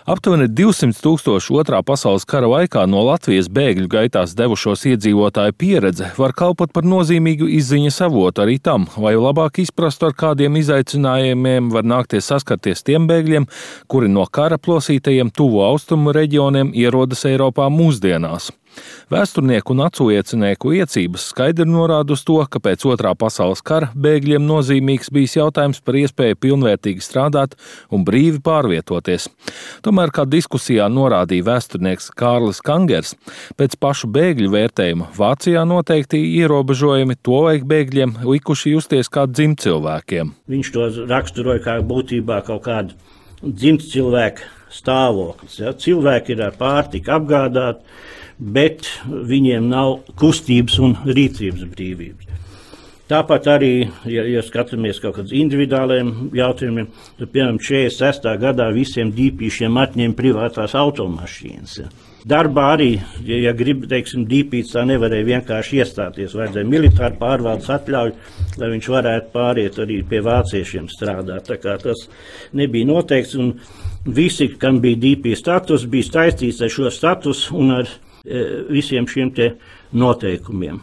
Aptuveni 200,000 Otrā pasaules kara laikā no Latvijas bēgļu gaitās devušos iedzīvotāju pieredze var kalpot par nozīmīgu izziņas avotu arī tam, lai labāk izprastu, ar kādiem izaicinājumiem var nākties saskarties tiem bēgļiem, kuri no kara plosītajiem tuvo austrumu reģioniem ierodas Eiropā mūsdienās. Vēsturnieku un aculiecinieku liecības skaidri norāda uz to, ka pēc Otrā pasaules kara bēgļiem nozīmīgs bijis jautājums par iespēju pilnvērtīgi strādāt un brīvi pārvietoties. Tomēr, kā diskusijā norādīja vēsturnieks Kārlis Kangers, pēc pašu bēgļu vērtējuma Vācijā noteikti ierobežojumi tolaik bēgļiem likuši justies kā dzimtcilvēkiem. Viņš to raksturoja kā būtībā kaut kādu dzimtcilvēku stāvoklis. Ja? Cilvēki ir ar pārtiku apgādāti, bet viņiem nav kustības un rīcības brīvības. Tāpat arī, ja skatāmies kaut kādiem individuāliem jautājumiem, tad, piemēram, 46. gadā visiem dīpīšiem atņēma privātās automašīnas. Ja. Darbā arī, ja grib, teiksim, dīpīts tā nevarēja vienkārši iestāties, vajadzēja militāru pārvaldes atļauju, lai viņš varētu pāriet arī pie vāciešiem strādāt. Tā kā tas nebija noteikts, un visi, kam bija dīpī status, bija saistīts ar šo statusu un ar visiem šiem te noteikumiem.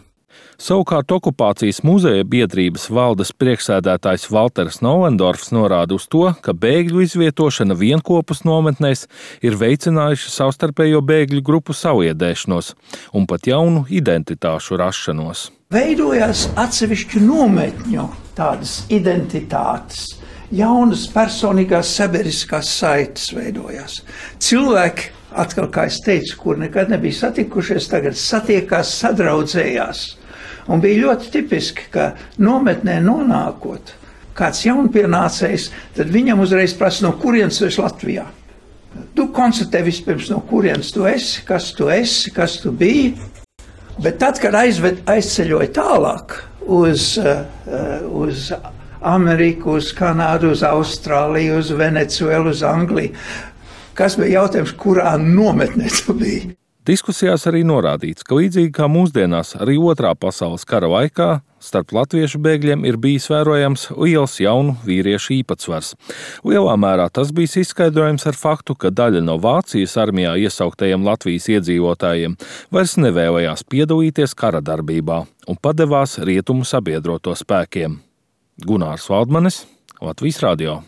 Savukārt okupācijas muzeja biedrības valdes priekšsēdētājs Valters Novendorfs norāda uz to, ka bēgļu izvietošana vienkopus nometnēs ir veicinājuši savstarpējo bēgļu grupu saviedēšanos un pat jaunu identitāšu rašanos. Veidojās atsevišķu nometņu tādas identitātes. Jaunas personīgās sabiedriskās saites veidojās. Cilvēki, atkal, kā es teicu, kur nekad nebija satikušies, tagad satiekās, sadraudzējās. Un bija ļoti tipiski, ka nometnē nonākot kāds jaunpienācējs, tad viņam uzreiz prasa, no kurienes tu esi Latvijā. Tu konstatē vispirms, no kurienes tu esi, kas tu biji. Bet tad, kad aizceļoja tālāk uz Ameriku, uz Kanādu, uz Austrāliju, uz Venecuēlu, uz Angliju, kas bija jautājums, kurā nometnē tu biji? Diskusijās arī norādīts, ka līdzīgi kā mūsdienās arī Otrā pasaules kara laikā starp latviešu bēgļiem ir bijis vērojams liels jaunu vīriešu īpatsvars. Lielā mērā tas bijis izskaidrojams ar faktu, ka daļa no Vācijas armijā iesauktajiem Latvijas iedzīvotājiem vairs nevēlējās piedalīties kara darbībā un padevās rietumu sabiedroto spēkiem. Gunārs Valdmanis, Latvijas radio.